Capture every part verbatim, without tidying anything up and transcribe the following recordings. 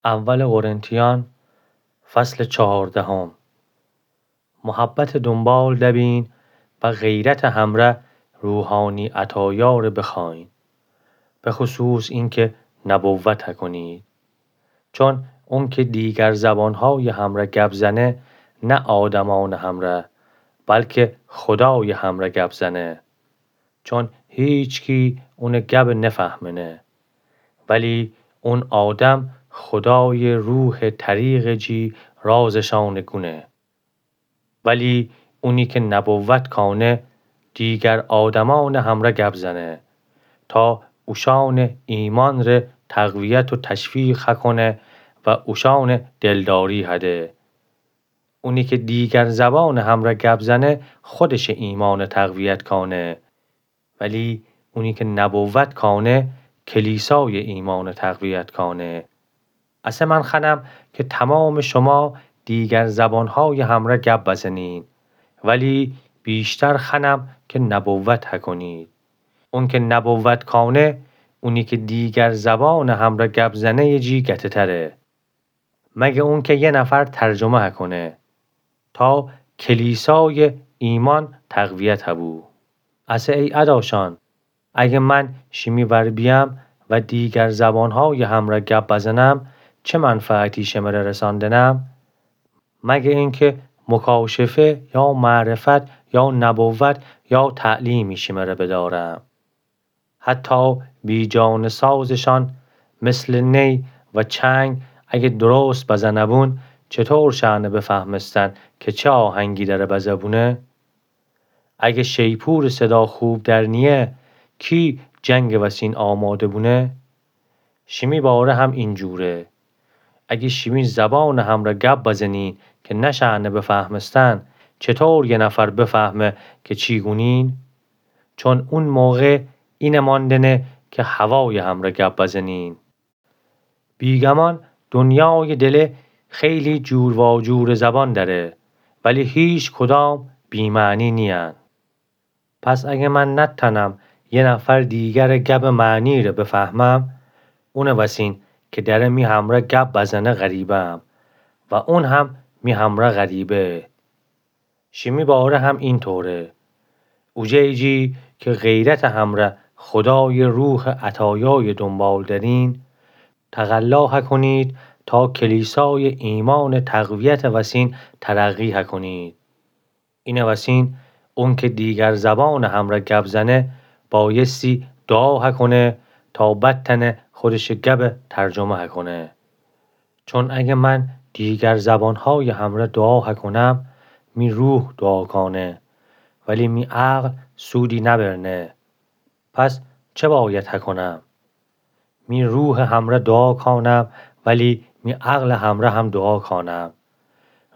اول قرنتیان، فصل چهاردهم. محبتٚ دونبال دبین و غیرتٚ همرأ روحانی عطایاره بخوأیین، بخصوص اینکه نبوت هکنید. چون اونکه دیگر زبانهایٚ همرأ گب زنه، نه آدمأنٚ همرأ، بلکه خودایٚ همرأ گب زنه. چون هیچکی اونٚ گب نفهمنه. ولی اون آدم خودایٚ روحٚ طریقٚ جی رازشأنٚ گونه. ولی اونی که نبوت کانه، دیگر آدمأنٚ همرأ گب زنه، تا اوشأنٚ ایمأنٚ ره تقویت و تشویق هکنه و اوشأنٚ دلداری هده. اونی که دیگر زبانٚ همرأ گب زنه، خودشٚ ایمأنٚ تقویت کانه. ولی اونی که نبوت کانه، کلیسایٚ ایمأنٚ تقویت کانه. اسه من خوأنم که تمامٚ شما دیگر زبانهایٚ همرأ گب بزنین، ولی بیشتر خوأنم که نبوت هکنید. اون که نبوت کانه، اونی که دیگر زبانٚ همرأ گب زنهیٚ جی گتهتره. مگه اونکه یه نفر ترجمه هکنه، تا کلیسایٚ ایمأن تقویت هبو. اسه ای اداشأن، اگه من شیمی ور بیأم و دیگر زبانهایٚ همرأ گب بزنم، چه منفعتی شمره رسأندنم؟ مگه اینکه مکاشفه یا معرفت یا نبوت یا تعلیمی شمره بدأرم. حتی بی‌جانسازشأن مثلٚ نی و چنگ اگه درست بزنهبون، چطور شأنه بفهمستن که چه آهنگی دأره بزهبونه؟ اگه شیپورٚ صدا خوب در نیه، کی جنگٚ وسین آماده بونه؟ شیمی باره هم اینجوره. اگه شیمی زبانٚ همرأ گب بزنین که نشأنه بفهمستن، چطور یه نفر بفهمه که چی گونین؟ چون اون موقع اینه مأندنه که هوایٚ همرأ گب بزنین. بیگمان دنیایٚ دله خیلی جور واجورٚ زبان دأره، ولی هیچ کدام بی‌معنی نیین. پس اگه من نتأنم یه نفر دیگرٚ گبٚ معنی ره بفهمم، اونٚ وسین که دأره می همرأ گب بزنه غریبه‌م و اون هم می همرأ غریبه. شیمی باره هم اینطوره. اوجه‌یٚ جی که غیرتٚ همرأ خودایٚ روحٚ عطایایٚ دونبال درین، تقلا هکنید تا کلیسایٚ ایمأنٚ تقویتٚ وسین ترقی هکنید. اینٚ وسین اونکه دیگر زبانٚ همرأ گب زنه، بایستی دوعا هکنه تا بتأنه خودشٚ گبٚ ترجمه هکنه. چون اگه من دیگر زبانهایٚ همرأ دوعا هکنم، می روح دوعا کانه، ولی می عقل سودی نبرنه. پس چه باید هکنم؟ می روحٚ همرأ دوعا کانم، ولی می عقلٚ همرأ هم دوعا کانم.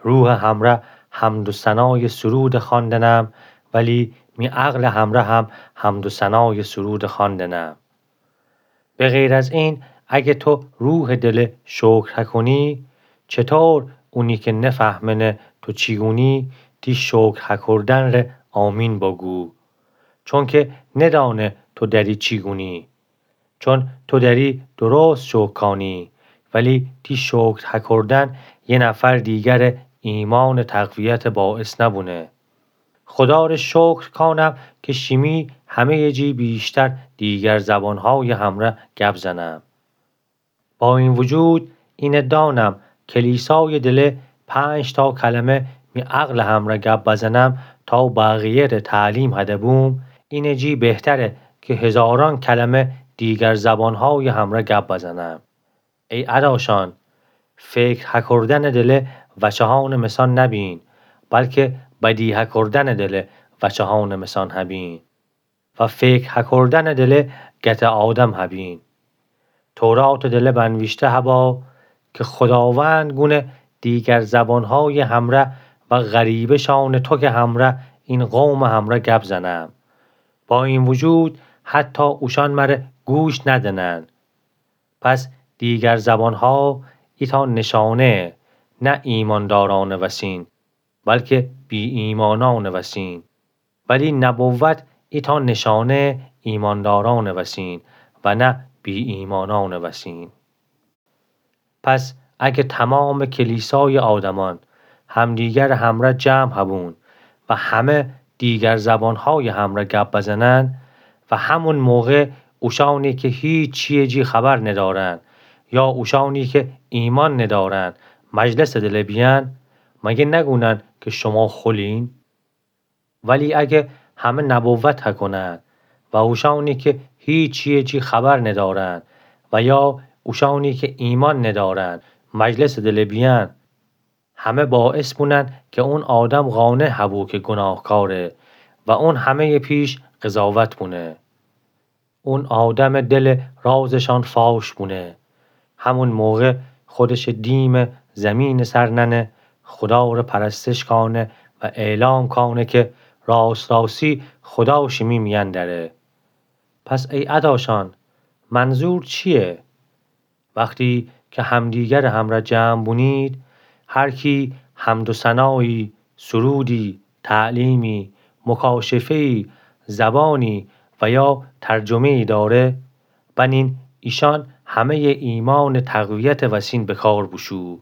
روحٚ همرأ حمد و ثنایٚ سرود خواندنم، ولی می عقلٚ همرأ هم حمد و ثنایٚ سرود خواندنم. به غیر از این، اگه تو روحٚ دله شکر هکنی، چطور اونی که نفهمنه تو چی گونی، تی شکر هکردن ره آمین بگو؟ چونکه ندأنه تو دأری چی گونی. چون تو دأری درست شکر کانی، ولی تی شکر هکردن یه نفر دیگرٚ ایمأنٚ تقویتٚ باعث نبونه. خودا ره شکر کانم که شیمی همه‌یٚ جی بیشتر دیگر زبانهایٚ همرأ گب زنم. با این وجود، اینه دانم کلیسایٚ دله پنج تا کلمه می عقلٚ همرأ گب بزنم تا بقیه ره تعلیم هده بوم، اینٚ جی بهتره که هزارأن کلمه دیگر زبانهایٚ همرأ گب بزنم. ای اداشأن، فکر هکردنٚ دله وچهانٚ مثأن نبین، بلکه بدی هکردنٚ دله وچهانٚ مثأن هبین و فکر هکردنٚ دله گتٚ آدم هبین. توراتٚ دله بنویشته هبا که خوداوند گونه دیگر زبانهایٚ همرأ و غریبه‌شانٚ توکٚ همرأ این قومٚ همرأ گب زنم. با این وجود حتی اوشأن مره گوش ندنن. پس دیگر زبانها ایتأ نشانه، نه ایماندارأنٚ وسین، بلکه بی‌ایمانأنٚ وسین. ولی نبوت ایتأ نشانه ایماندارأنٚ وسین و نه بی‌ایمانأنٚ وسین. پس اگه تمامٚ کلیسایٚ آدمأن همدیگرٚ همرأ جمع هبون و همه دیگر زبانهایٚ همرأ گب بزنن و همون موقع اوشأنی که هیچییٚ جی خبر ندأرن یا اوشأنی که ایمأن ندأرن مجلسٚ دله بیأن، مگه نگونن که شوما خولین؟ ولی اگه همه نبوت هکونن و اوشأنی که هیچییٚ جی خبر ندأرن و یا اوشأنی که ایمأن ندأرن مجلسٚ دله بیأن، همه باعث بونن که اون آدم قانع هبو که گوناهکاره و اون همهیٚ پیش قضاوت بونه. اون آدمٚ دلٚ رازشأن فاش بونه. همون موقع خودشٚ دیمٚ زیمینٚ سر ننه، خودا ره پرستش کأنه و اعلام کأنه که راست‌راستی خودا شیمی میأن دأره. پس ای اداشأن، منظور چییه؟ وختی که همدیگرٚ همرأ جمع بونید، هر کی حمد و ثنایی، سرودی، تعلیمی، مکاشفه‌ای، زبانی و یا ترجمه‌ای دأره، بنین ایشأن همهیٚ ایمأنٚ تقویتٚ وسین به کار بوشو.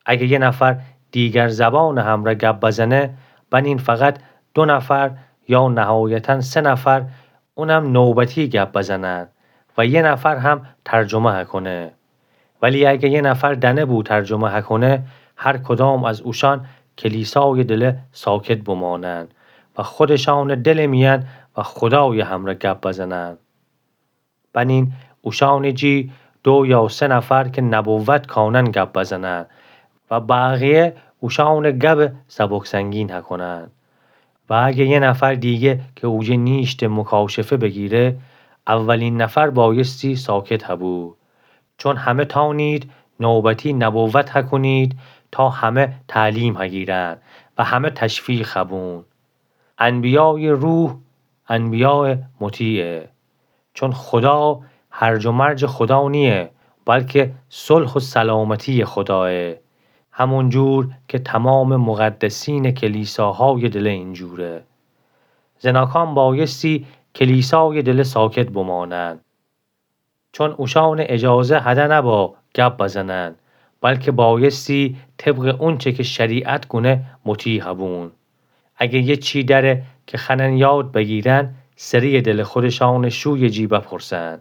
اگه یه نفر دیگر زبانٚ همرأ گب بزنه، بنین فقط دو نفر یا نهایتاً سه نفر اونم نوبتی گب بزنن و یه نفر هم ترجمه هکونه. ولی اگه یه نفر دأنه بو ترجمه هکونه، هر کدام از اوشأن کلیسایٚ دله ساکت بمانن و خودشأنٚ دلٚ میأن و خودایٚ همرأ گب بزنن. بنین اوشأنٚ جی دو یا سه نفر که نبوت کأنن گب بزنن و بقیه اوشأنٚ گبٚ سبک‌سنگین هکونن. و اگه یه نفر دیگه که اویه نیشته مکاشفه بگیره، اولین نفر بایستی ساکت هبو. چون همه تأنید نوبتی نبوت هکونید تا همه تعلیم هگیرن و همه تشویق هبون. انبیایٚ روح انبیایٚ مطیعه. چون خودا هرج و مرجٚ خودا نییه، بلکه صلح و سلامتییٚ خودایه. همون جور که تمامٚ مقدسینٚ کلیساهایٚ دله اینجوره. زناکان بایستی کلیسایٚ دله ساکت بمانن. چون اوشأنٚ اجازه هده نبا گب بزنن، بلکه بایستی طبقٚ اونچه که شریعت گونه مطیع هبون. اگه یه چی دأره که خوأنن یاد بگیرن، سریٚ دلٚ خودشأنٚ شویٚ جی بپرسن.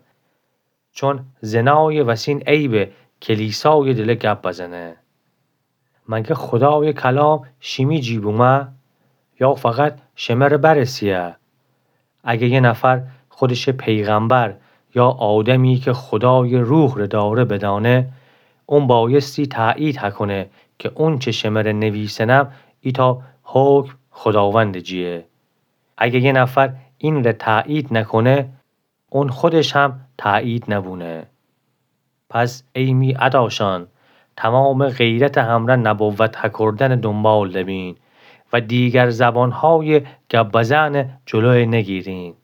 چون زنایٚ وسین عیبه کلیسایٚ دله گب بزنه. مگه خودایٚ کلام شیمی جی بومه؟ یا فقط شمره برسیه؟ اگه یه نفر خودشٚ پیغمبر یا آدمی که خودایٚ روح ره دأره بدأنه، اون بایستی تأیید هکونه که اونچه شمره نویسنم ایتأ حکم خوداوندٚ جییه. اگه یه نفر این ره تأیید نکونه، اون خودش هم تأیید نبونه. پس ای می اداشأن، تمامٚ غیرتٚ همرأ نبوت هکردنٚ دونبال دبین و دیگر زبانهایٚ گب بزنٚ جلویٚ نگیرین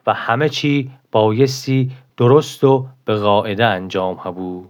و همه چی بایستی درست و به قاعده انجام هبو.